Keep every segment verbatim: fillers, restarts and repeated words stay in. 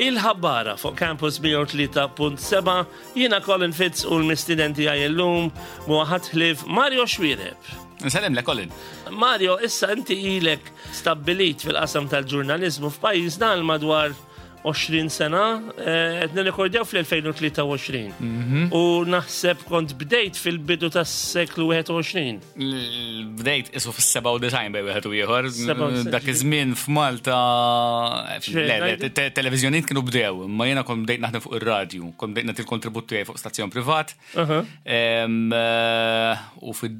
Il-Ħabbara fuq Campus mija u tlieta punt seba', jiena Colin Fitz u l-mistieden tiegħi llum mhu ħadd ħlief Mario Xuereb. Nsellem lilek, Colin. Mario, issa inti ilek stabbilit fil-qasam tal-ġurnalizmu f'pajjiżna għal madwar għoxrin sena, eh, qed nirrekordjaw fl-elfejn u tlieta u għoxrin. U naħseb kont bdejt fil-bidu tas-seklu wieħed u għoxrin. Bdejt isu fis-sebgħa u disgħin bejn wieħed u ieħor. sebgħa u disgħin. Dak iż-żmien f'Malta le, le, te- televiżjonijiet kienu bdew, imma jiena kont bdejt naħdem fuq ir-radju, kont bdejt nagħti l-kontribut tiegħi fuq stazzjon privat. Em, eh, U fil-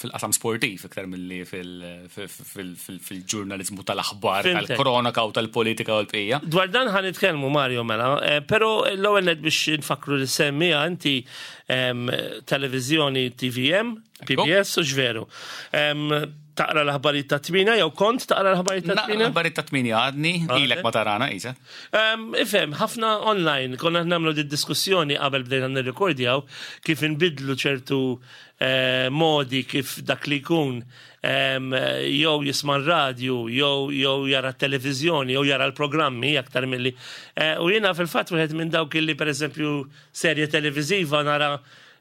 fil-qasam sportiv iktar milli fil- fil- fil- fil- fil-ġurnalizmu tal-aħbar, Fhimtek. tal-kronaka u tal-politika u l-bqija. Dwar dan ħa nitkellmu, Mario, mela, eh, pero l-ewwel nett biex nfakru li semmija inti em, televizjoni T V M, P B S u x'veru. Em, Taqra l-aħbarijiet ta' tmienja, jew kont taqra l-aħbarijiet ta' tmienja? L-aħbarijiet ta' tmienja għadni, ilek ma tarana, isa. Um, ifhem, ħafna online, konna nagħmlu di diskussjoni qabel bdejna nirrekordjaw kif inbidlu ċertu eh, modi kif dak li jkun em, jew jisma' r-radju, jew jew jara t-televiżjoni, jew jara l-programmi aktar milli. Eh, u jiena fil-fatt wieħed minn dawk illi, pereżempju, serje televiżiva nara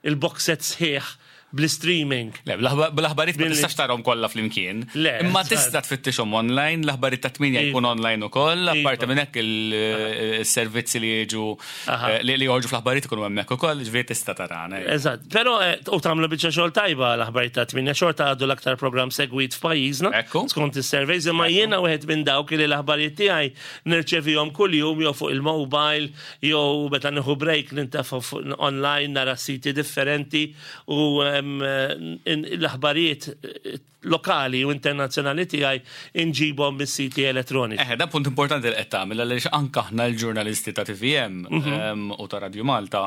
il-box set sħiħ bl-streaming. Le, bl-aħbarijiet ma Billi- tistax tarahom kollha flimkien. Le, Imma eżatt. tista' tfittixhom online, l-aħbarijiet ta' tmienja Iva. jkun online ukoll, Iva. apparti minn hekk il-servizzi li jiġu Aha. eh, li li joħorġu fl-aħbarijiet ikunu hemmhekk ukoll, ġifieri tista' tarana. Eżatt, pero eh, u tagħmlu biċċa xogħol tajba l-aħbarijiet ta' tmienja, xorta għadu l-aktar program segwit f'pajjiżna. Ekku. Skont is-surveys, imma jiena wieħed minn dawk li l-aħbarijiet tiegħi nirċevihom kuljum jew fuq il-mobile jew meta nieħu break nintefa' fuq online nara siti differenti u em, in- l-aħbarijiet eh, lokali u internazzjonali tiegħi inġibhom mis-siti elettroniċi. Eh, dan punt importanti li qed tagħmel għaliex anke aħna l-ġurnalisti ta' T V M Mhm. em, u ta' Radio Malta,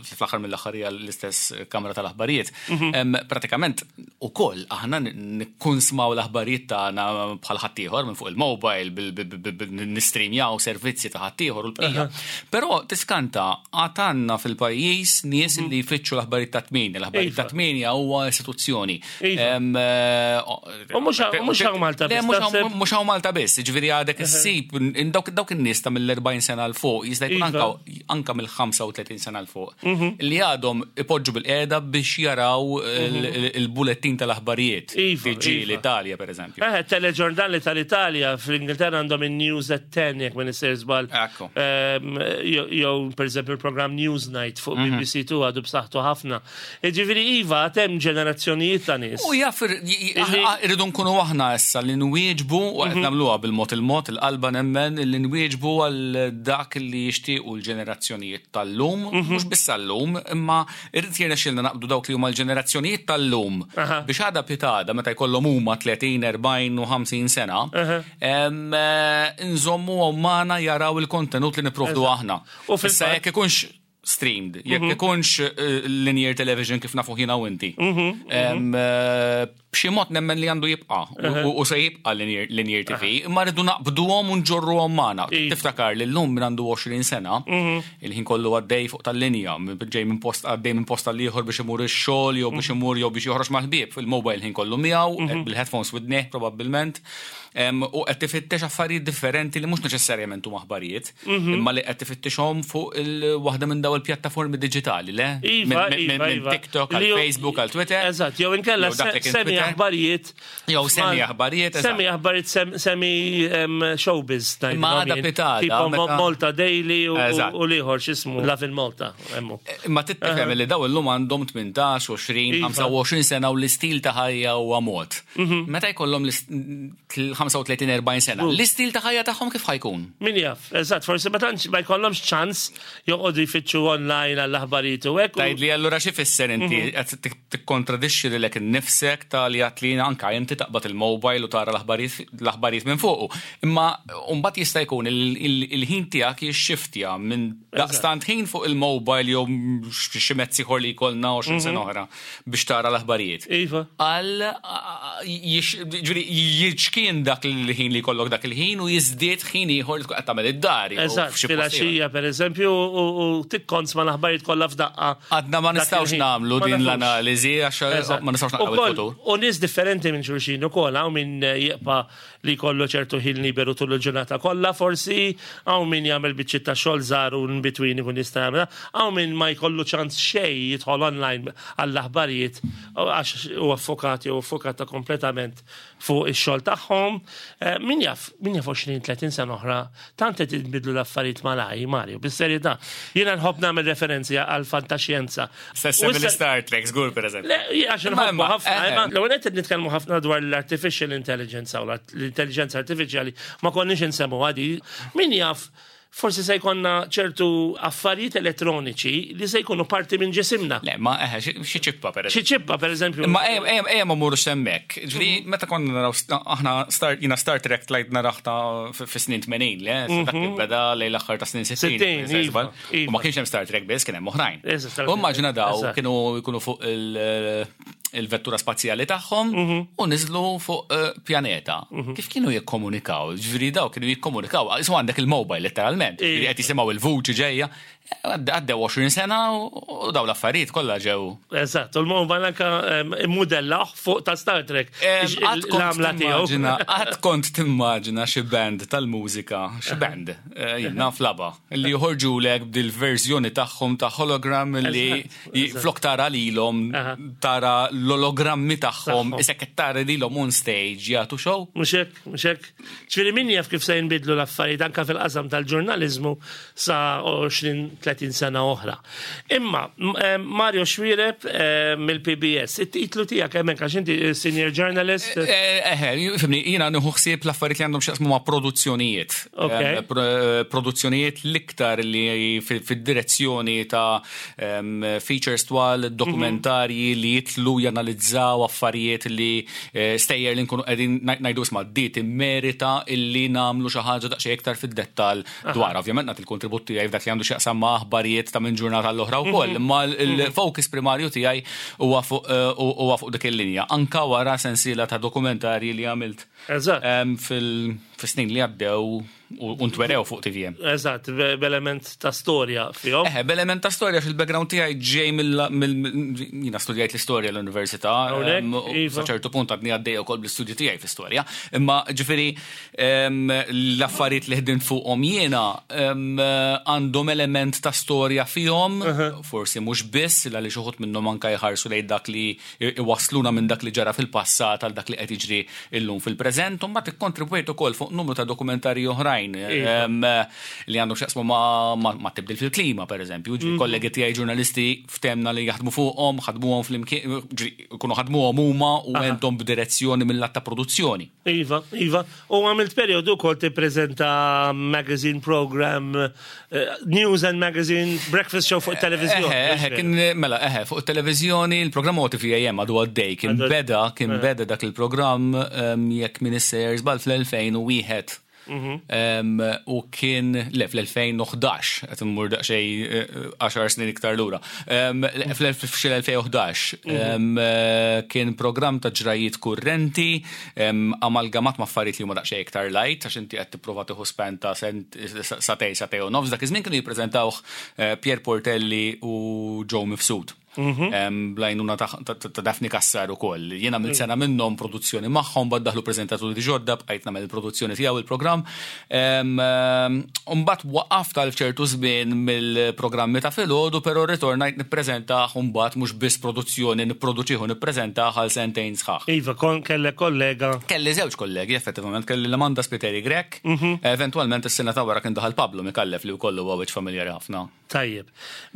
fl-aħħar mill-aħħar hija l-istess kamra tal-aħbarijiet. Mhm. em, Pratikament ukoll aħna nikkunsmaw l-aħbarijiet tagħna bħal ħaddieħor minn fuq il-mobile, bil- bil- bil- bil- nistreamjaw servizzi ta' ħaddieħor u l-bqija. Però tiskanta għad għandna fil-pajjiż nies li jfittxu l-aħbarijiet ta' tmienja. L-aħbarijiet ta' Mhm. Iva. tmienja huwa istituzzjoni. Iva. Em, eh, U mhux hawn- mhux hawn Malta Le, biss, mhux hawn- taħseb? mhux hawn Malta biss, ġifieri għadek issib dawk dawk in-nies ta' mill-erbgħin sena 'l fuq, jista' jkun Iva. anka anka mill-ħamsa u tletin sena 'l fuq, li għadhom ipoġġu bil-qiegħda biex jaraw il- il-bulettin tal-aħbarijiet. Iva, T G iva. l-Italja, per eżempju. Eh, teleġurnali tal-Italja, fl-Ingilterra għandhom il-News at ten, jekk ma nisir żball. Ekku. Ehm, Jew jew, per eżempju, il-programm Newsnight fuq B B C two għadu b'saħħtu ħafna. Ġifieri iva, hemm ġenerazzjonijiet ta' nies. U jaf, irridu nkunu aħna issa li nwieġbu, u qed nagħmluha bil-mod il-mod, il-qalba nemmen, li nwieġbu għal dak li jixtiequ l-ġenerazzjonijiet tal-lum, mhux biss tal-lum, imma irrid jirnexxilna naqbdu dawk li huma l-ġenerazzjonijiet tal-lum Aha. biex għada pitgħada meta jkollhom huma tletin, erbgħin u ħamsin sena, em, eh, nżommu magħna jaraw il-kontenut li nipprovdu aħna. U fil-fatt- Issa jekk ikunx streamed, jekk ikunx eh, linear television kif nafu jiena u inti. Em, eh, B'xi mod nemmen li għandu jibqa' u- u se jibqa' linear, linear T V, imma rridu naqbduhom u nġorruhom magħna. Iva. Tiftakar li llum min għandu għoxrin sena, il-ħin kollu għaddej fuq tal-linja, ġej minn post għaddej minn post għal ieħor biex imur ix-xogħol jew biex imur jew biex joħroġ mal-ħbieb, fil-mobile ħin kollu miegħu, bil-headphones widnejh probabbilment, em, u qed tifittex affarijiet differenti li mhux neċessarjament huma aħbarijiet, imma li qed tifittixhom fuq il-waħda minn daw il-pjattaformi diġitali, le? Iva, Minn- minn iva, minn iva. TikTok Li għal ju- Facebook għal Twitter. Eżatt, jew inkella Jew dak li kien semi Twitter. aħbarijiet. Jew semi aħbarijiet, eżatt. Semi aħbarijiet, sem- semi em, showbiz. Imma għada pitgħada, Tipo meta- Malta Daily u- Eżatt. u l-ieħor x'ismu Lovin Malta. Emmu. Imma tifhem li daw illum għandhom tmintax, għoxrin, Iva. ħamsa u għoxrin sena u l-istil ta' ħajja huwa mod. Meta jkollhom l-ħamsa u tletin, erbgħin sena, l-istil ta' ħajja tagħhom kif ħa jkun? Min jaf, eżatt, forsi ma tantx ma jkollhomx ċans joqogħdu jfittxu online għall-aħbarijiet u hekk. u- Tgħid li allura xi fisser inti qed tik- tikkontradixxi lilek innifsek ta' li għedt li anka inti taqbad il-mobile u tara l-aħbarijiet l-aħbarijiet minn fuqu. Imma mbagħad jista' jkun il- il- il-ħin tiegħek jixxiftja minn daqstant ħin fuq il-mobile jew xi mezz ieħor li jkollna għoxrin sena oħra biex tara l-aħbarijiet. Iva. Għal ġifieri jiċkien dak il-ħin li jkollok dak il-ħin u jiżdied ħin ieħor li tkun qed tagħmel id-dar jew Eżatt, f'xi post ieħor. filgħaxija per eżempju, u u tikkonsma l-aħbarijiet kollha f'daqqa. Għadna ma Dak nistgħux il-ħin. nagħmlu Ma din nafux. l-analiżi għax Eżatt. ma nistgħux naqraw Ukoll- il-futur. U nies differenti minn xulxin ukoll, hawn min eh, jibqa' li jkollu ċertu ħin liberu tul il-ġurnata kollha, forsi, hawn min jagħmel biċċiet ta' xogħol żgħar u in between ikun jista' jagħmel, hawn min ma jkollu ċans xejn jidħol online għall-aħbarijiet għax huwa affokati u affokata kompletament fuq ix-xogħol tagħhom. Eh, Min jaf, min jaf għoxrin tletin sena oħra, tant qed jinbidlu l-affarijiet malaj, Mario, bis-serjetà. Jiena nħobb nagħmel referenzi għal fantaxjenza. Sess U issa- Star Trek, żgur, per eżempju. Le, għax Imma- nħobbu ħafna, eh, imma l-ewwel qed nitkellmu ħafna dwar l-artificial intelligence u l-intelligenza artificiali, ma konniex insemmu għadi. Min jaf, forsi se jkollna ċertu affarijiet elettroniċi li se jkunu parti minn ġisimna. Le, ma eħe, xi- xi ċippa, per eżempju. Xi ċippa, per eżempju. Ma ejja ejja ejja ma mmurux hemmhekk. Ġifieri meta konna naraw aħna Star jiena Star Trek tlajt narah ta' fi snin tmenin, le, dak li beda lejn l-aħħar ta' snin sittin. sittin, iva, U ma iva. kienx hemm Star Trek biss, kien hemm oħrajn. Eżatt, Star U Trek. immaġina daw Eżatt. kienu jkunu fuq il- il-vettura spazjali tagħhom u niżlu fuq eh, pjaneta. Kif kienu jikkomunikaw? Ġifieri daw kienu jikkomunikaw. Isu għandek il-mobile letteralment. Ġifieri qed jisimgħu il-vuċi ġejja. Għaddew għoxrin sena u u daw l-affarijiet kollha ġew. Eżatt, u l-mobile anka mudella fuq ta' Star Trek. Em, Qatt kont L-għamla tiegħu. timmaġina, qatt kont timmaġina xi band tal-mużika, xi band, eh, jien naf laba, li joħorġu lek bil-verżjoni tagħhom ta' hologram li Eżatt, j- eżatt. flok tara lilhom, Aha. tara l-ologrammi tagħhom, Tagħhom. isek qed tara lilhom on stage jagħtu show. Mhux hekk, mhux hekk. Ġifieri min jaf kif se jinbidlu l-affarijiet anka fil-qasam tal-ġurnaliżmu sa għoxrin tletin sena oħra. Imma, m- eh, Mario Xuereb eh, mill-P B S, it-titlu tiegħek hemmhekk għax inti senior journalist. Eh, eh, fhimni, jiena nieħu ħsieb l-affarijiet li għandhom x'jaqsmu ma' produzzjonijiet. Ok. Em, pro- Produzzjonijiet l-iktar li fi- fid-direzzjoni ta' em, features twal, dokumentarji li jitlu janalizzaw affarijiet li eh, stejjer li nkunu qegħdin ngħidu, isma', di timmerita illi nagħmlu xi ħaġa daqsxejn iktar fid-dettall dwar. Ovvjament nagħti il-kontribut tiegħi f'dak li għandu x'jaqsam ma' aħbarijiet ta' minn ġurnata l-oħra wkoll, imma il-focus primarju tiegħi huwa fuq eh, huwa fuq dik il-linja. Anka wara sensiela ta' dokumentarji li għamilt Eżatt. em, fil-snin li għaddew u u ntwerew fuq T V M. Eżatt, be- b'element ta' storja fihom. Eħe, b'element ta' storja, fil-background tiegħi ġej mill mill- jiena studjajt l-istorja l-università. Hawnhekk, em, u iva. Sa ċertu punt għadni għaddej ukoll bl-istudju tiegħi fl-istorja. Imma ġifieri em, l-affarijiet li ħdimt fuqhom jiena em, għandhom element ta' storja fihom, forsi mhux biss, għaliex uħud minnhom anka jħarsu lejn dak li iwasluna minn dak li ġara fil-passat għal dak li qed jiġri illum fil-preżent, u mbagħad ikkontribwejt ukoll fuq numru ta' dokumentarji oħrajn Iva. em, li għandhom x'jaqsmu ma' ma' ma' tibdil fil-klima, per eżempju. Ġifieri kollegi tiegħi ġurnalisti ftemna li jaħdmu fuqhom, ħadmuhom flimkien, ġifieri jkunu ħadmuhom huma u għenthom b'direzzjoni mill-lat ta' produzzjoni. Iva, Iva. U għamilt periodu kol tippreżenta magazine program, eh, news and magazine, breakfast show fuq televizjoni. Eħe, eħe, kien, mela, eħe, fuq televizjoni, il-programm huwa T V A M għadu għaddej, kien Għadu- beda, kien beda dak il-programm em, jekk minn sejjer żball fl-elfejn u wieħed. Em, U kien, le, fl-elfejn u ħdax, qed immur daqsxejn eh, għaxar snin iktar lura. Em, Fl-elfejn u ħdax em, eh, kien programm ta' ġrajiet kurrenti, em, amalgamat ma' affarijiet li huma daqsxejn iktar light, għax inti qed tipprova tieħu span ta' sent- sagħtejn, sagħtejn u nofs. Dak iż-żmien kienu jippreżentawh eh, Pier Portelli u Joe Mifsud. Em, Bl-għajnuna ta' ta' ta' Daphne Cassar u koll. Jiena mill sena minnhom produzzjoni magħhom, bad daħlu preżentaturi ġodda, bqajt nagħmel il-produzzjoni tiegħu il-programm. Em, em, Mbagħad waqaft għal ċertu żmien mill-programmi ta' filgħodu, però ritornajt nippreżentah mbagħad mhux biss produzzjoni, nipproduċih u nippreżentah għal sentejn sħaħ. Iva, kon kellek kollega. Kelli żewġ kollegi, effettivament, kelli l-Amanda Spiteri Grech, eventualment is-sena ta' wara kien daħal Pablo Mikallef li wkoll huwa wiċċ familjari ħafna. Tajjeb.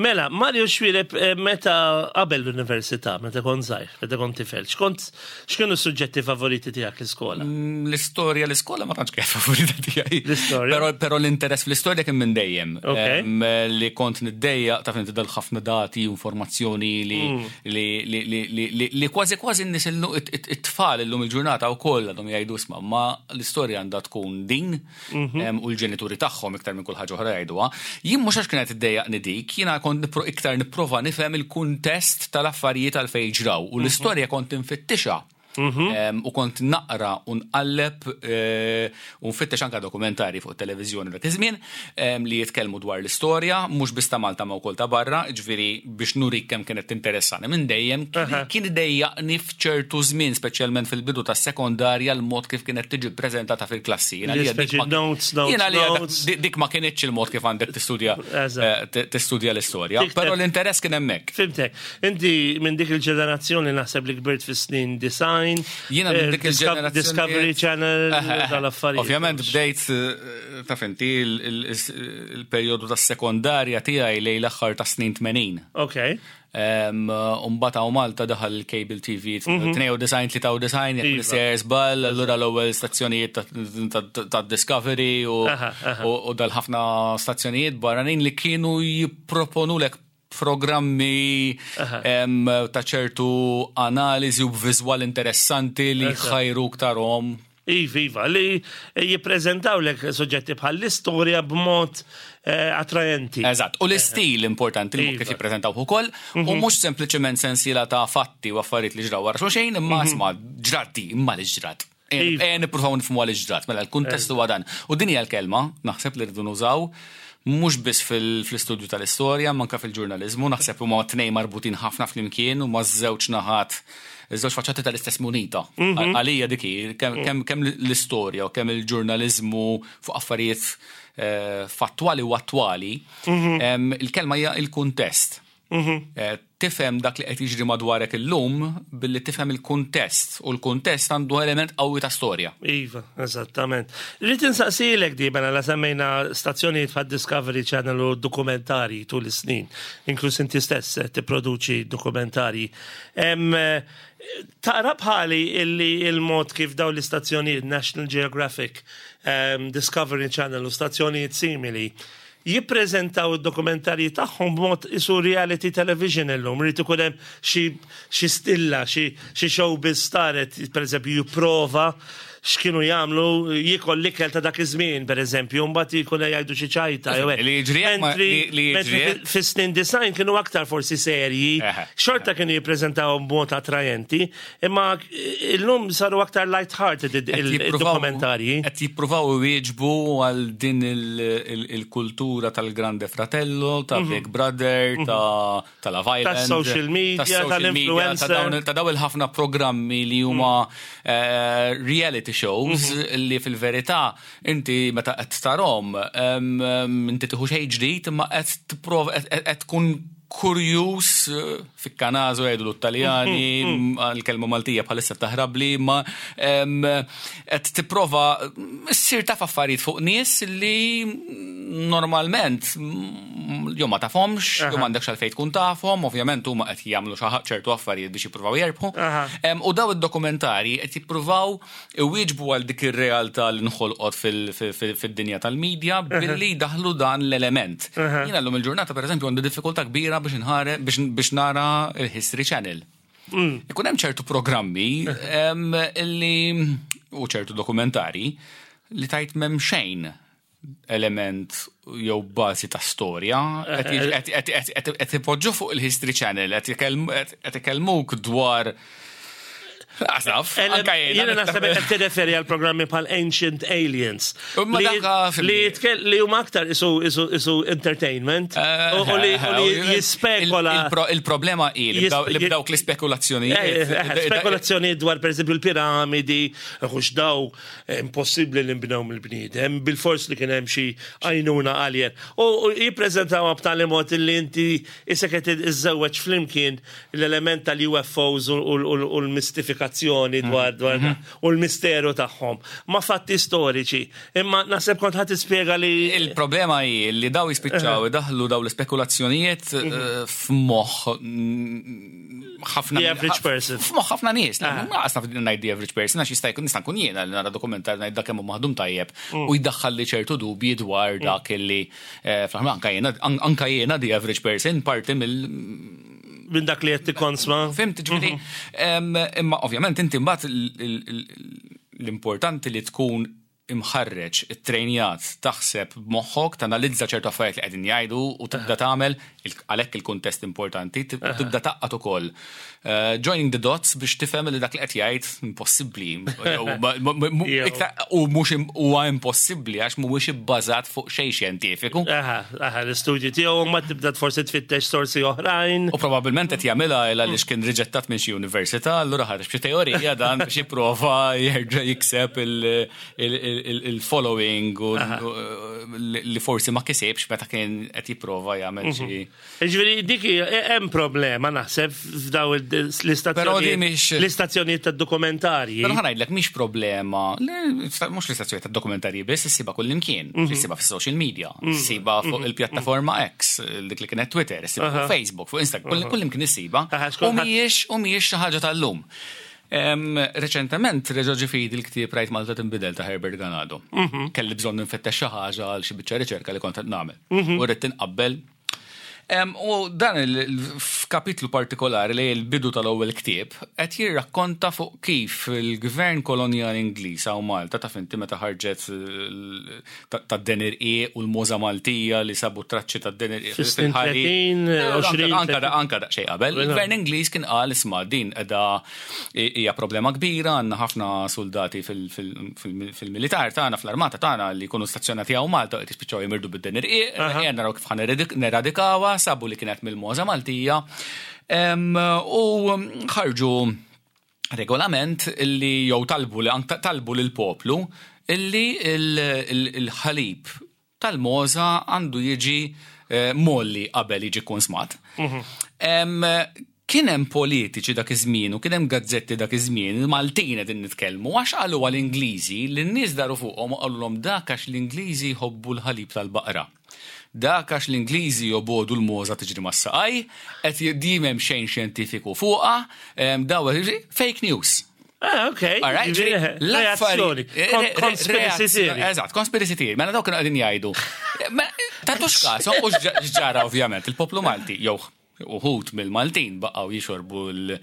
Mela, Mario Xuereb, eh, meta qabel l-università, meta kont żgħir, meta kont tifel, x'kont x'kienu s-suġġetti favoriti tiegħek l-iskola? Mm, L-istorja l-iskola ma tantx kienet favorita tiegħi. L-istorja? Però però l-interess fl-istorja kien minn dejjem. Ok. Em, Li kont niddejjaq ta' finti dal ħafna dati, informazzjoni li Mm. li li li li li li kważi kważi n-nies illum it- it-tfal illum il-ġurnata wkoll għadhom jgħidu, isma', ma l-istorja għandha tkun din Mhm. em, u l-ġenituri tagħhom iktar minn kull ħaġa oħra jgħiduha. Jien mhux għax kienet iddejjaqni dik, jiena kont nipro- iktar nipprova nifhem il-kuntest tal-affarijiet għal fejn ġraw u l-istorja kont infittixha. Em, U kont naqra u nqalleb eh, u nfittex anka dokumentari fuq televizjoni dak iż-żmien em, li jitkellmu dwar l-istorja, mhux biss ta' Malta ma wkoll ta' barra, ġifieri biex nurik kemm kienet tinteressani minn dejjem, kien- kien idejjaqni f'ċertu żmien, speċjalment fil-bidu tas-sekondarja, l-mod kif kienet tiġi ppreżentata fil-klassi. Jiena għalija dik Speċi ma- notes, notes, jiena għalija dak- notes. dik- dik ma kienitx il-mod kif għandek tistudja Eżatt. eh, t- tistudja l-istorja, Dik però te- l-interess kien hemmhekk. Fhimtek, inti minn dik il-ġenerazzjoni naħseb li kbirt fis-snin disgħin. Jiena minn eh, dik Disco- il-ġenerazzjoni- Discovery Channel, dal-affarijiet. Ovvjament bdejt, eh, taf inti, il- il- il-perjodu tas-sekondarja tiegħi lejn l-aħħar ta' snin tmenin. Ok. Umbagħad hawn Malta daħal il-cable T V tnejn u disgħin, tlieta u disgħin, jekk Iva. nisser żball, allura l-ewwel stazzjonijiet ta- ta- ta' Discovery u Aha, aha. u u dal-ħafna stazzjonijiet barranin li kienu jipproponulek programmi em, ta' ċertu analiżi u viżwal interessanti li Eżatt. ħajruk tarahom. Iva, iva, li jippreżentaw lek soġġetti bħal l-istorja b'mod eh, attrajenti. Eżatt, u l-istil importanti li Iva. kif jippreżentaw ukoll, u mhux sempliċement sensiela ta' fatti u affarijiet li ġraw wara xulxejn, imma isma' ġrat di, imma li ġrat. Iva. E nippruvaw nifhmu għal ġrat, mela l-kuntest huwa dan. U din hija l-kelma, naħseb li rridu nużaw, mhux biss fil- fl-istudju tal-istorja, manka fil-ġurnalizmu, naħseb huma tnejn marbutin ħafna flimkien u ma' żewġ naħat, żewġ faċċati tal-istess munita. Għalija dik hi, kemm kemm kemm l-istorja u kemm il-ġurnalizmu fuq affarijiet eh, fattwali u attwali, em, il-kelma hija il-kuntest. Eh, Tifhem dak li qed jiġri madwarek illum billi tifhem il-kuntest, u l-kuntest għandu element qawwi ta' storja. Iva, eżattament. Rrid insaqsilek di mela la semmejna stazzjonijiet bħal Discovery Channel u dokumentari tul is-snin, inkluż inti stess eh, tipproduċi dokumentari. Em, eh, Taqra bħali illi il-mod kif daw l-istazzjonijiet National Geographic, em, Discovery Channel u stazzjonijiet simili jippreżentaw id-dokumentarji tagħhom b'mod isu reality television illum, irid ikun hemm xi xi stilla, xi xi showbiz star qed pereżempju jipprova x'kienu jagħmlu, jiekol l-ikel ta' dak iż-żmien pereżempju, mbagħad jkun jgħidu xi ċajta jew hekk. Li jiġri hekk ma- Mentri- li- li jiġri mentri hekk- fis-snin disgħin kienu aktar forsi serji, Eħe. xorta kienu jippreżentaw b'mod attrajenti, imma illum saru aktar light-hearted Qed jippruvaw- il-dokumentarji. Qed jippruvaw iwieġbu għal din il- il- il-kultura tal-Grande Fratello, ta' Big Brother, ta' ta' Love Island. Tas-social media, tas-social media, tal-influencer. ta' dawn- Ta' daw il-ħafna programmi li huma eh, reality shows li fil-verità inti meta qed tarahom em, em, inti tieħu xejn ġdid, imma qed tipprova qed- qed qed tkun kurjus, eh, ficcanaso jgħidu l-Taljani, l-kelma Maltija bħalissa taħrabli, ma em, qed tipprova ssir taf affarijiet fuq nies li normalment mm, jew ma tafhomx, jew m'għandekx għalfejn tkun tafhom, ovvjament huma qed jagħmlu xi ċertu affarijiet biex jippruvaw jerbħu. Aha. Em, U daw id-dokumentari qed jippruvaw iwieġbu għal dik ir-realtà li nħolqot fil- fil- fil- fid-dinja tal-medja billi daħlu dan l-element. Jiena llum il-ġurnata, pereżempju, għandi diffikultà kbira biex nħare biex biex nara il-History Channel. Ikun hemm ċertu programmi em, li u ċertu dokumentari li tajt m'hemm xejn element jew bażi ta' storja, qed qed- qed- qed- qed- qed ipoġġu fuq il-History Channel, qed ikellmu- qed qed ikellmuk dwar. Għasaf, anka Jiena naħseb qed tirreferi għal programmi bħal Ancient Aliens. Imma Li danka fil- li jitkel- li huma aktar isu isu isu entertainment u u li u li jispekola. Il-problema hi li Jis- bdaw- li ji- bdawk l-ispekulazzjonijiet. Eh, eh, Spekulazzjoni dwar per eżempju l-piramidi, hux daw eh, impossibbli li nbnew mill-bniedem, bil-fors li kien hemm xi għajnuna alien. U u jippreżentaw b'tali mod li inti issa qed iżżewweġ flimkien l-element tal-U F Os u u- u- u l-mistifikazzjoni dwar dwar u l-misteru tagħhom ma' fatti storiċi. Imma naħseb kont ħadd tispjega li Il-problema hi li daw jispiċċaw idaħlu daw l-ispekulazzjonijiet eh, f'moħħ mm, ħafna The average person. F'moħħ ħafna nies. Ma qasna ngħid the average person, għax jista' jkun nista' nkun jiena li nara dokumentar ngħid dak kemm hu maħdum tajjeb u jdaħħal li ċertu dubji dwar dak illi eh, fl-aħħar anka jiena anka jiena the average person parti mill minn dak li qed tikkonsma. Fhimt, ġifieri, em, imma ovvjament inti mbagħad l- l- l- l-importanti li tkun imħarreġ, it-trejnjat, taħseb b'moħħok, tanalizza ċertu affarijiet li qegħdin jgħidu u tibda tagħmel għalhekk il-kuntest importanti, tibda tgħaqqad ukoll. Eh, joining the dots biex tifhem li dak li qed jgħid impossibbli. U mhux huwa impossibbli għax mhuwiex ibbażat fuq xejn xjentifiku. Aha, aha, l-istudji tiegħu ma tibda forsi tfittex sorsi oħrajn. U probabbilment qed jagħmilha għaliex kien riġettat minn xi università, allura ħareġ b'xi teorija dan biex jipprova jerġa' jikseb il-following u li forsi ma kisibx meta kien qed jipprova jagħmel xi. Ġifieri dik hemm problema naħseb f'daw l-istazzjonijiet l-istazzjonijiet tad-dokumentarji. Però ħa ngħidlek mhix problema, mhux l-istazzjonijiet tad-dokumentarji biss, issibha kullimkien, issibha fis-social media, issibha fuq il-pjattaforma X, dik li kienet Twitter, issibha fuq Facebook, fuq Instagram, kullimkien issibha. U mhijiex u mhijiex xi ħaġa tal-lum. Reċentement reġa' ġie f'idi il-ktieb Rajt Malta Tinbidel ta' Herbert Ganado. Kelli bżonn nfittex xi ħaġa għal xi biċċa riċerka li kont qed nagħmel. U rrid tinqabbel. U dan f'kapitlu partikolari li l-bidu tal-ewwel ktieb qed jirrakkonta fuq kif il-gvern kolonjali Ingliż hawn Malta, taf inti meta ħarġet tad-deni rqiq u l-mogħża Maltija li sabu traċċi tad-deni rqiq fil-ħari. Anka anka daqsxejn qabel. Il-gvern Ingliż kien qal, "Isma', din qiegħda hija problema kbira, għandna ħafna soldati fil-militar tagħna, fl-armata tagħna li jkunu stazzjonati hawn Malta qed jispiċċaw jimirdu bid-deni rqiq, ejja naraw kif ħa neradikawha." Sabu li kienet mill-mogħża Maltija u ħarġu regolament illi jew talbu li talbu lil poplu illi il-ħalib tal-mogħża għandu jiġi eh, mgħolli qabel jiġi konsmat. Kien hemm politiċi dak iż-żmien u kien hemm gazzetti dak iż-żmien, il-Maltin qegħdin nitkellmu, għax qalu għall-Ingliżi li n-nies daru fuqhom u qalulhom dak għax l-Ingliżi jħobbu l-ħalib tal-baqra. Dak għax l-Ingliżi jobogħdu l-mogħża tiġri mas-saqaj, qed dejjem xejn xjentifiku fuqha, daw fake news. Ah, ok. Alright, Ġifieri, l-affari- reazzjoni. Kon- Conspiracy theory. Eżatt, conspiracy theory. Mela dawk kienu qegħdin jgħidu. Ma Tatux każ, u x'ġara ovvjament, il-poplu Malti, jew uħud mill-Maltin baqgħu jixorbu l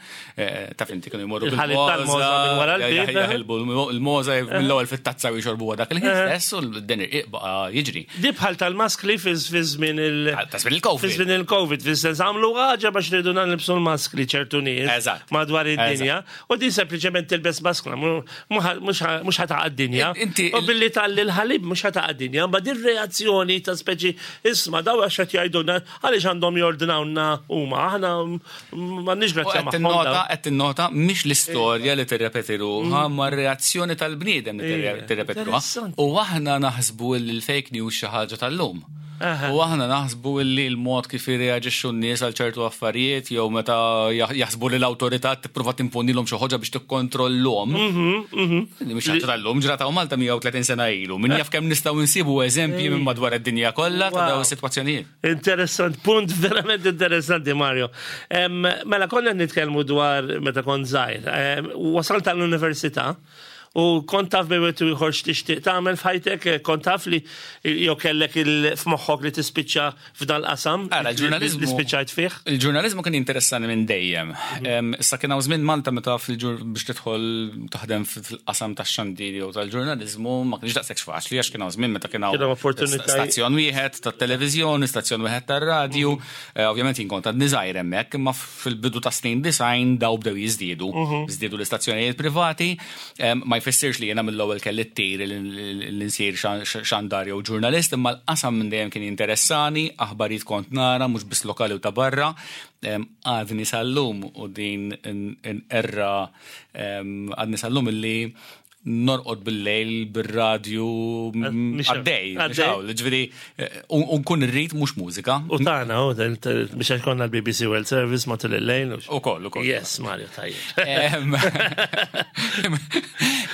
eh, taf inti kienu jmorru Il-ħalib tal-mogħża minn wara l-bib, eh? jaħilbu l-mogħża mill-ewwel fit-tazza u jixorbu dak il-ħin stess u l-deni baqa' jiġri. Di bħal tal-maskli fi fi żmien il- Ta' żmien il-Covid. Fi żmien il-Covid, fi sens għamlu ħaġa biex rridu nilbsu l-maskli ċertu nies Eżatt. madwar id-dinja. U din sempliċement tilbes maskla, mhux ħa taqa' d-dinja. Inti- U billi tgħalli l-ħalib mhux ħa taqa' d-dinja, ma din reazzjoni ta' speċi isma' daw għax qed jgħidulna għaliex għandhom jordinawna huma, aħna m'għandniex U grazzja qed magħhom. tinnota, daw. qed tinnota mhix l-istorja li tirrepeti ruħha, ma r-reazzjoni tal-bniedem li Ija, tirrepeti ruħha. interessanti. U aħna naħsbu li l-fake news xi ħaġa tal-lum. Aha. U aħna naħsbu li l-mod kif jirreaġixxu n-nies għal ċertu affarijiet jew meta jaħ- jaħsbu li l-awtorità tipprova timponilhom xi ħaġa biex tikkontrollhom. Li mhix ħaġa tal-lum, ġrat hawn Malta mija u tletin sena ilu. Min jaf kemm nistgħu nsibu eżempji minn madwar id-dinja kollha ta' Wow. dawn is-sitwazzjonijiet. Interessant, punt verament interessanti, Mario. Em, mela, konna nitkellmu dwar meta kont żgħir. Em, Wasalt għall-università u kont taf bejn wieħed u ieħor x'tixtieq tagħmel f'ħajtek, eh, kont taf li jew kellek il f'moħħok li tispiċċa f'dal qasam Ara, il-ġurnaliżmu- li spiċċajt fih. Il-ġurnalizmu kien interessani minn dejjem. Em, Issa kien hawn żmien Malta meta fil-ġur biex tidħol taħdem fil-qasam tax-xandir jew tal-ġurnalizmu ma kienx daqshekk faċli għax kien hawn żmien meta kien hawn Kien hawn opportunitajiet. stazzjon wieħed tat-televiżjoni, stazzjon wieħed tar-radju. Eh, Ovvjament jien kont għadni żgħir hemmhekk, imma fil-bidu ta' snin disgħin daw bdew jiżdiedu. Żdiedu l-istazzjonijiet privati. Em, Ma jfissirx li jiena mill-ewwel kelli t-tir li nsir xandar jew ġurnalist, imma l-qasam minn dejjem kien interessani, aħbarijiet kont nara, mhux biss lokali u ta' barra. Em, Għadni sal-lum u din erra għadni sal-lum illi norqod bil-lejl, bil-radju, Mhix- għaddej, għaddej. ġifieri, u nkun irrid mhux mużika. U tagħna, u biex għax konna l-B B C World Service matul il-lejl. U koll, u koll. Yes, Mario, tajjeb. Em,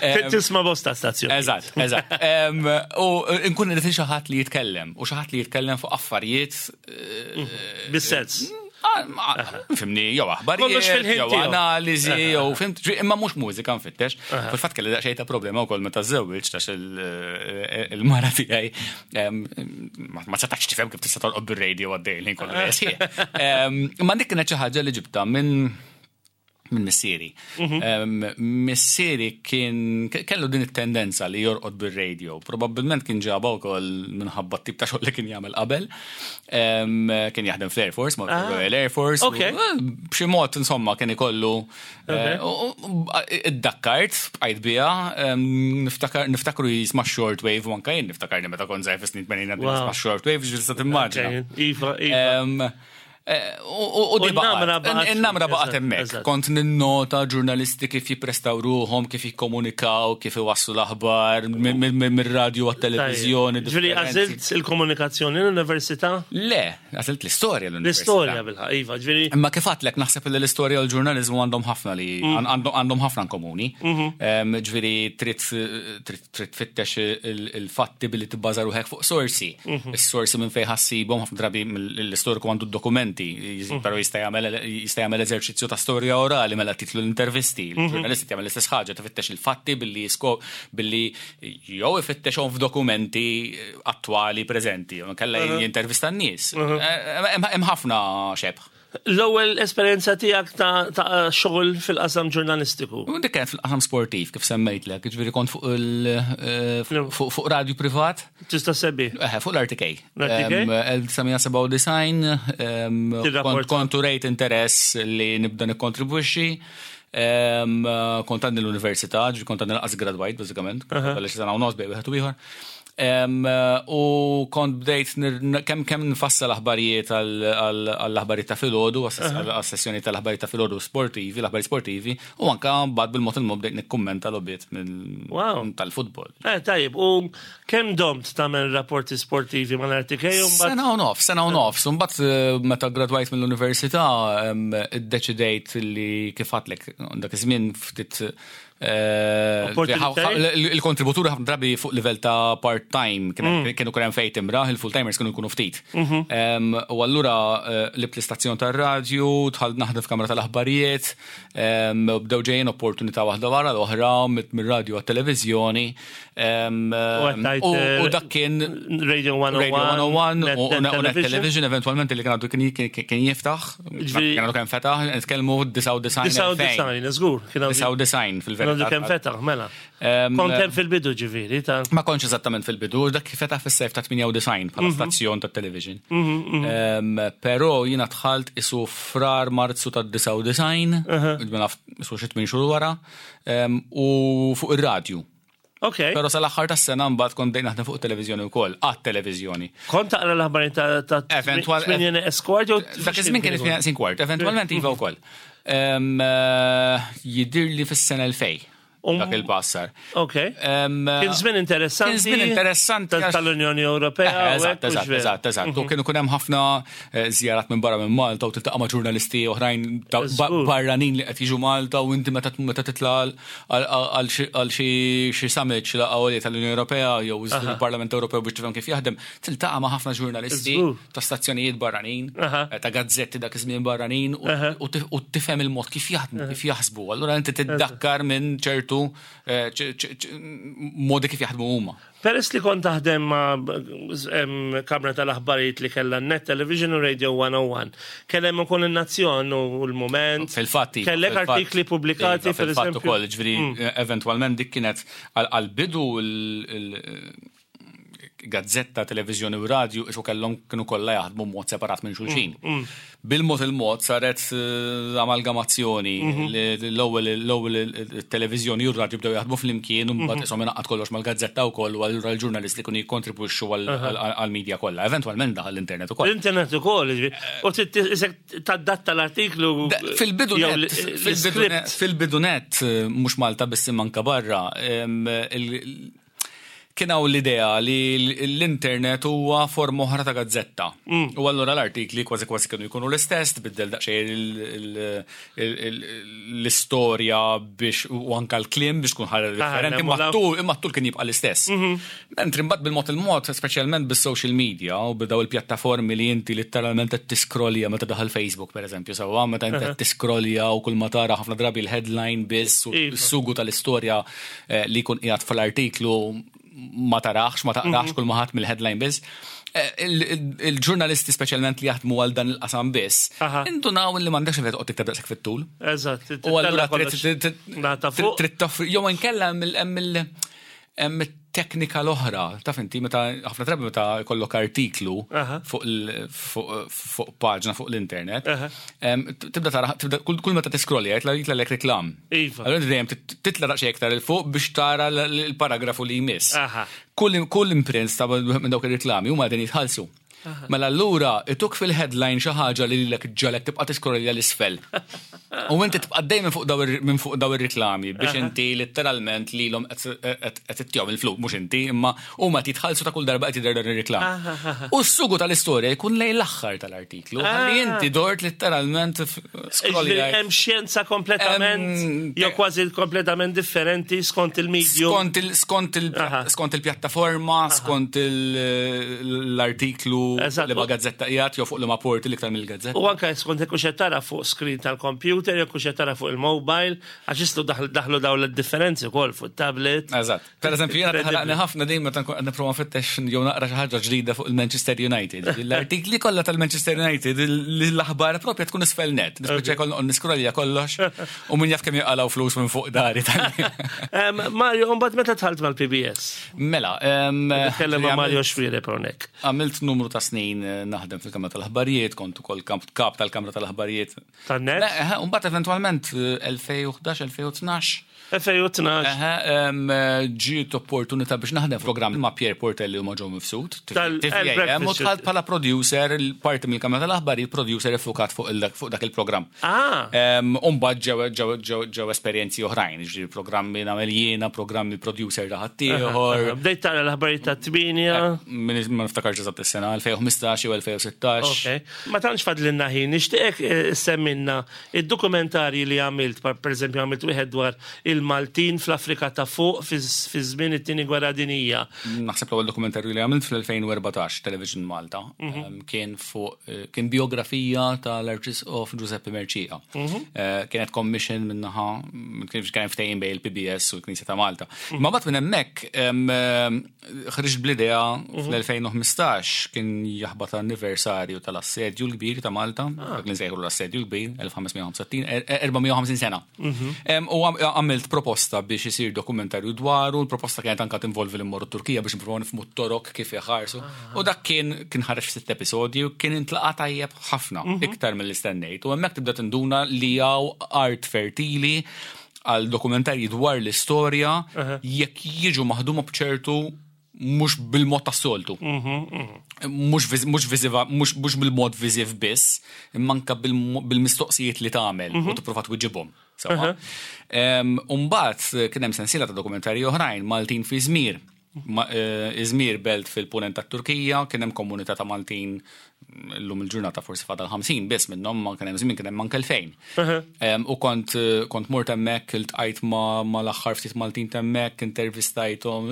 em, Tisma' bosta stazzjon. Eżatt, eżatt. Em, U nkun irrid xi ħadd li jitkellem, u xi ħadd li jitkellem fuq affarijiet eh, Bis-sens. ah, ma- Fhimni, jew Kollox aħbarijiet, fil-ħin jew tiegħu. analiżi, jew fhimt, ġi- imma mhux mużika nfittex. Fil-fatt kelli daqsxejn ta' problema wkoll meta żewwiġt għax il- il-mara tiegħi em, ma ma setax tifhem kif tista' torqod bir-radio għaddej il-ħin kollu. Em, Imma dik kienet xi ħaġa li ġibta minn Minn missieri. Em, Missieri kien kellu din it-tendenza li jorqod bir-radio. Probabbilment kien ġaba wkoll minħabba t-tip ta' xogħol li kien jagħmel qabel. Em, Kien jaħdem fl-Air Force, ma' Royal Air Force. Ok. U, eh, B'xi mod, insomma, kien ikollu eh, u- u- Iddakkart, bqajt biha, em, niftakar niftakru jisma' shortwave u anka jien niftakarni meta kont żgħir fis-snin tmenin Wow. nisma' shortwave, ġista timmaġina. Iva, iva. Em, eh, U u- u di U n-namra baqgħet. baqgħet In-namra fik, baqgħet eżatt, hemmhekk. eżatt. Kont ninnota ġurnalisti kif jipprestaw ruħhom, kif jikkomunikaw, kif iwasslu l-aħbar mir-radju għat-televiżjoni. Ġifieri differenzi. għażilt il-komunikazzjoni l-università? Le, għażilt l-istorja l-università. L-istorja bilħaqq, iva, ġifieri. Imma kif għedtlek naħseb li l-istorja u l-ġurnalizmu għandhom ħafna li għandhom għandhom ħafna in komuni. Em, Ġifieri trid trid trid tfittex il- il-fatti billi tibbaża ruħek fuq sorsi. Is-sorsi minn fejn ħa ssibhom ħafna drabi l-istoriku għandu d-dokumenti, però jista' jagħmel jista' jagħmel eżerċizzju ta' storja orali mela titlu l-intervisti. Il-ġurnalisti jagħmel l-istess ħaġa, tifittex il-fatti billi jisko billi jew ifittexhom f'dokumenti attwali preżenti, jew inkella jintervista n-nies. Eh, Hemm hemm ħafna xebh. L-ewwel esperjenza tiegħek ta' ta' xogħol fil-qasam ġurnalistiku. U dik kienet fil-qasam sportiv, kif semmejtlek, ġifieri kont fuq il eh, fuq fuq radju privat, Tista' sebbi. eh, fuq l-R T K. L-R T K? Em, elf disa' mija sebgħa u disgħin, em, Tirrapporta. kont kont urejt interess li nibda nikkontribwixxi. Em, Kont għadni l-università, ġifieri kont għadni lanqas gradwajt, bażikament, għaliex sena u nofs bejn wieħed u ieħor. Em, U kont bdejt nir- kemm kemm nfassal aħbarijiet għall-aħbarijiet ta' filgħodu, għas-sessjoni tal-aħbarijiet ta' filgħodu sportivi, l-aħbarijiet sportivi, u anka mbagħad bil-mod il-mod bdejt nikkummenta logħbiet mill- Wow. tal-futbol. Eh, tajjeb, u kemm domt tagħmel rapporti sportivi mal-R T K u mbagħad Sena u nofs, sena u nofs. Mbagħad eh, meta gradwajt mill-università em, iddeċidejt li kif għedtlek dak iż-żmien ftit eh, Opportunitajiet? il- il-kontributuri ħafna drabi fuq livell ta' part-time kienu kienu kurem fejn timraħ, il-full-timers kienu jkunu ftit. Em, U allura eh, qlibt l-istazzjon tar-radju, dħalt naħdem f'kamra tal-aħbarijiet, em, bdew ġejjin opportunità waħda wara l-oħra mir-radju għat-televiżjoni. em, għattajt, U eh, u dak kien Radio one oh one, Radio one oh one Net- u Net u Net Television. Television eventualment li kien għadu kien kien- kien jiftaħ, Ġifieri- kien għadu kien fetaħ, nitkellmu disgħa u disgħin. Disgħa u disgħin, żgur. Kien għadu Disgħa u disgħin kien għadu fil-verità. kemm fetaħ, mela. Em, Kont hemm fil-bidu ġifieri ta' Ma kontx eżattament fil-bidu, dak fetaħ fis-sejf ta' tmienja u disgħin bħala stazzjon ta' television. Em, Però jiena dħalt isu frar Marzu ta' disgħa u disgħin, mela isu xi tmien xhur wara, em, u fuq ir-radju. Ok. Però sal-aħħar tas-sena mbagħad kont bdejt naħdem fuq televiżjoni wkoll, għat-televiżjoni. Kont taqra l-aħbarijiet ta' ta' Eventual- tmienja neqes kwart jew Dak iż-żmien kien it-tmienja kwart, eventualment iva wkoll. Em, eh, Jidir li fis-sena elfejn Um, dak il-passar. Ok. Em, Kien żmien interessanti. Kien żmien interessanti ta- għax- Tal-Unjoni Ewropea. Eh, u Eżatt, hekk u eżatt, x'veru. eżatt, eżatt. U kienu kun hemm ħafna eh, żjarat minn barra minn Malta u tiltaqa' ma' ġurnalisti oħrajn ta' ba- Żgur. barranin li qed jiġu Malta u inti meta meta titla' għal- għal xi- għal xi xi summit xi laqgħa tal-Unjoni Ewropea jew il-Parlament Ewropew biex tifhem kif jaħdem, tiltaqa' ma' ħafna ġurnalisti Żgur. ta' stazzjonijiet barranin, Aha. eh, ta' gazzetti dak iż-żmien barranin u- u tif- u tifhem il-mod kif jaħdmu, kif jaħsbu. Allura inti tiddakkar minn ċertu eh, ċ- ċ- ċ- modi kif jaħdmu huma. Peress li kont taħdem ma' em, kamra tal-aħbarijiet li kellha Net Television u Radio one oh one, kellem ukoll in-Nazzjon u l-Mument. Fil-fatt, iva, Kellek fil-fatt. artikli pubblikati, Iva, per fil-fatt eżempju. ukoll, ġifieri, eventualment dik kienet għal- għal-bidu il- gazzetta, televizjoni u radju, isu kellhom kienu kollha jaħdmu mod separat minn xulxin. Bil-mod il-mod saret eh, amalgamazzjoni li l-ewwel l-ewwel il-televiżjoni u r-radju bdew jaħdmu flimkien u mbagħad isom ingħaqad kollox mal-gazzetta wkoll u allura l-ġurnalisti kienu jikkontribwixxu għall-media kollha. Eventwalment daħal l-internet ukoll. L-internet ukoll, ġifieri. U isek tadatta l-artiklu. Da- Fil-bidu jew net, l- fil-bidu net, l-script. fil-bidu net, eh, mhux Malta biss imma anka barra, em, il- kien hawn l-idea li l-internet huwa forma oħra ta' gazzetta. U allura l-artikli kważi kważi kienu jkunu l-istess, tbiddel daqsxejn il- il- il- il- l-istorja biex u anka l-kliem biex tkun ħaġa differenti, imma nemmu t-tul imma t-tul kien jibqa' l-istess. Mentri mbagħad bil-mod il-mod, speċjalment bis-social media u b'daw il-pjattaformi li inti letteralment qed tiskrolja meta daħal Facebook pereżempju, sewwa meta inti qed tiskrolja u kull ma tara ħafna drabi l-headline biss u Iva. s-sugu tal-istorja eh, li jkun qiegħed fl-artiklu ma tarax, ma taqrax kull ma ħadd mill-headline biss. Eh, il- il- Il-ġurnalisti speċjalment li jaħdmu għal dan il-qasam biss, Aha. indunaw li m'għandekx fejn toqgħod tikteb daqshekk fit-tul. Eżatt. U allura trid trid- Nata fuq. trid toffri, jew inkella hemm il- hemm il- hemm it-teknika l-oħra, taf inti meta ħafna drabi meta jkollok artiklu Aha. fuq il- fuq fuq paġna fuq l-internet, Aha. em, tibda tara tibda kull kull meta tiskrolli jitla jitlagħlek reklam. Iva. Allura inti dejjem tit- titla daqsxejn iktar 'il fuq biex tara l- l-paragrafu li jmiss. Aha. Kull kull imprint ta' minn dawk ir-reklami huma qegħdin jitħallsu. Mela allura ituk fil-headline xi ħaġa li lilek ġalek tibqa' tiskrolli 'l isfel. U inti tibqa' dejjem fuq daw ir- minn fuq daw ir-reklami biex inti letteralment lilhom qed qed ittihom il-flus, mhux inti, imma huma titħallsu ta' kull darba qed jidher dan ir-reklam. U s-sugu tal-istorja jkun lejn l-aħħar tal-artiklu. Ħalli inti dort letteralment scrolli Ġifieri hemm xjenza kompletament, Em, jew kważi kompletament differenti skont il-medium. Skont il skont il Aha. skont il-pjattaforma, skont il- l-artiklu Eżatt. li ma gazzetta qiegħed jew fuq li ma porti l-iktar mill-gazzetta. U anka skont jekk hux tara fuq screen tal-computer, jekk hux tara fuq il-mobile, għax jistgħu daħlu daħlu dawn l-differenzi wkoll fuq tablet. Eżatt. Per eżempju, jiena taħraqni Incredible. ħafna dejjem meta nkun qed nipprova nfittex jew naqra xi ħaġa ġdida fuq il-Manchester United. L-artikli kollha tal-Manchester United, l-aħbar propja tkun isfel net. Nispiċċa jkollna niskrolja kollox u min jaf kemm jaqalgħu flus minn fuq dari tal Em, Mario, mbagħad meta dħalt mal-P B S? Mela, em, Nitkellem ma' Mario Xuereb hawnhekk. Għamilt numru ta' snin eh, naħdem fil-Kamra tal-Aħbarijiet, kont ukoll kamp- kap tal-Kamra tal-Aħbarijiet. Tan-net? Le, eh, Mbagħad eventwalment eh, elfejn u ħdax-elfejn u tnax elfejn u tnax. Eħe, em, eh, ġiet opportunità biex naħdem program ma' Pierre Portelli u ma' Joe Mifsud. Tal- T V A M, u Breakfast. dħalt bħala producer, il-parti mill-Kamra tal-Aħbarijiet, producer iffukat fuq il- fuq dak il-programm. Ah, Umbagħad ġew ġew ġew ġew esperjenzi oħrajn, ġifieri programmi nagħmel jiena, programmi producer ta' ħaddieħor. Bdejt tara l-aħbarijiet ta' tmienja. Min ma niftakarx eżatt is-sena, elfejn u ħmistax jew elfejn u sittax. Ok. Ma tantx fadlinna ħin, nixtieqek eh, semmilna id-dokumentarji li għamilt, per per eżempju għamilt wieħed dwar il-Maltin fl-Afrika ta' fuq fi fi żmien it-tieni gwerra dinija. Naħseb l-ewwel dokumentarju li għamilt fl-elfejn u erbatax Television Malta em, kien fuq eh, kien biografija tal-Arċisqof Giuseppe Mercieca. Eh, Kienet commission minnaħa kien kien ftehim bejn il-P B S u l-Knisja ta' Malta. Ma mbagħad minn hemmhekk em, em, ħriġt bl-idea fl-elfejn u ħmistax, kien jaħbat anniversarju tal-Assedju l-Kbir ta' Malta, dak li nsejħu l-Assedju l-Kbir, elf ħames mija u ħamsa u sittin, er- erba' mija u ħamsin sena. Em, U għam- għamilt proposta biex isir dokumentarju dwaru, l-proposta kienet anka tinvolvi li mmorru Turkija biex nipprovaw nifhmu t-Torok kif jaħarsu. U dak kien kien ħareġ f'sitt episodji u kien intlaqa tajjeb ħafna, iktar mill istennejt. U hemmhekk tibda tinduna li hawn art fertili għal dokumentarji dwar l-istorja jekk jiġu maħduma bċertu mhux bil-mod tas-soltu. Mhux viż- mhux viżiva, mhux mhux bil-mod viżiv biss, imma anka bil- bil-mistoqsijiet li tagħmel u tipprova twiġibhom. Sewwa. Em, U mbagħad kien hemm sensiela ta' dokumentarji oħrajn, Maltin fi Izmir. Ma- eh, Izmir belt fil-punent tat-Turkija, kien hemm komunità ta' Maltin llum il-ġurnata forsi fadal ħamsin biss minnhom, ma kien hemm żmien kien hemm anke elfejn. Em, U kont eh, kont mort hemmhekk, iltqajt ma ma l-aħħar ftit Maltin hemmhekk, intervistajthom.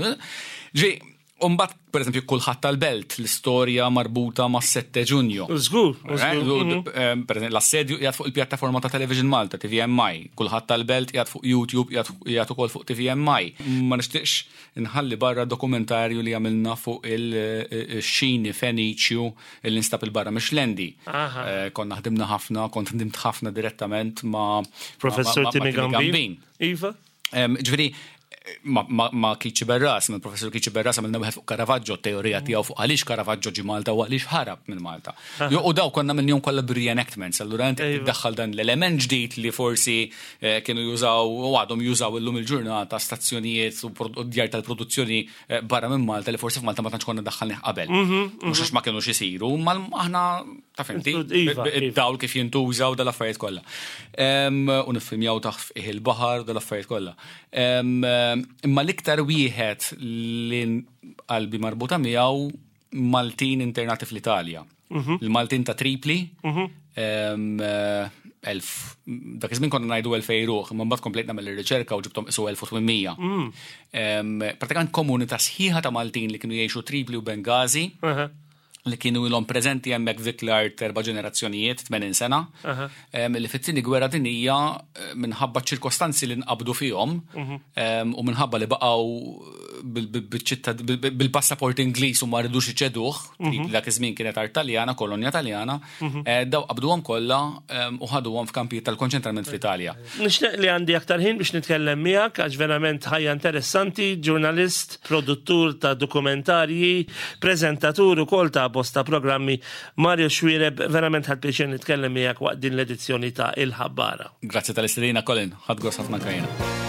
Ġi, u mbagħad pereżempju Kulħadd tal-Belt, l-istorja marbuta ma' sette Ġunju. Żgur, Right? żgur. U, em, Per eżempju, l-assedju qiegħed fuq il-pjattaforma ta' Television Malta, T V M I. Kulħadd tal-Belt qiegħed fuq YouTube, qiegħed qiegħed ukoll fuq T V M I. Ma nixtieqx inħalli barra dokumentarju li għamilna fuq il-xini Feniċju li nstab il-barra mix-Xlendi. Aha. Eh, Konna ħdimna ħafna, kont ħdimt ħafna direttament ma' Professor ma- ma- ma' Timmy Gambin. Iva? Em, Ġifieri, ma, ma, ma Kiċi Berras, ma professor Kiċi Berras għamilna wieħed fuq Caravaggio, teorija tiegħu fuq għaliex Caravaggio ġi Malta u għaliex ħarab minn Malta. Jo, u daw konna minnhom kollha reenactments, allura inti Iva. tiddaħħal dan l-element ġdid li forsi eh, kienu jużaw u għadhom jużaw illum il-ġurnata stazzjonijiet u pro- u djar tal-produzzjoni eh, barra minn Malta li forsi f'Malta ma tantx konna daħħalnih qabel. Mhux għax ma kienux isiru, ma aħna ta' fimti, Iva, iva. id-dawl kif jintużaw dal-affarijiet kollha. Em, U niffilmjaw taħt fih il-baħar dal-affarijiet kollha. Em, Imma l-iktar wieħed li qalbi marbuta miegħu, Maltin internati fl-Italja. Il-Maltin ta' Tripli, em, eh, elf, dak iż-żmien konna ngħidu elfej ruħ, imma mbagħad komplejt nagħmel ir-riċerka u ġibthom isu elf u tmien mija. Em, Pratikament komunità sħiħa ta' Maltin li kienu jgħixu Tripli u Bengazi, Aha. li kienu ilhom preżenti hemmhekk f'dik l-art erba' ġenerazzjonijiet, tmenin sena, em, li fit-tieni gwerra dinija eh, minħabba ċirkostanzi li nqabdu fihom em, u minħabba li baqgħu bil-passaport Ingliż u ma ridux iċeduh, mhm. dak iż-żmien kienet art Taljana, kolonja Taljana, mhm. eh, daw qabduhom kollha u ħaduhom f'kampijiet tal-konċentrament fl-Italja. Nixtieq li għandi aktar ħin biex nitkellem miegħek, għax verament ħajja interessanti, ġurnalist, produttur ta' dokumentarji, preżentatur ukoll ta' bosta programmi. Mario Xuereb, verament ħadt pjaċir nitkellem miegħek waqt din l-edizzjoni ta' Il-Ħabbara. Grazzi tal-istedina, Colin, ħadt gost ħafna kajna.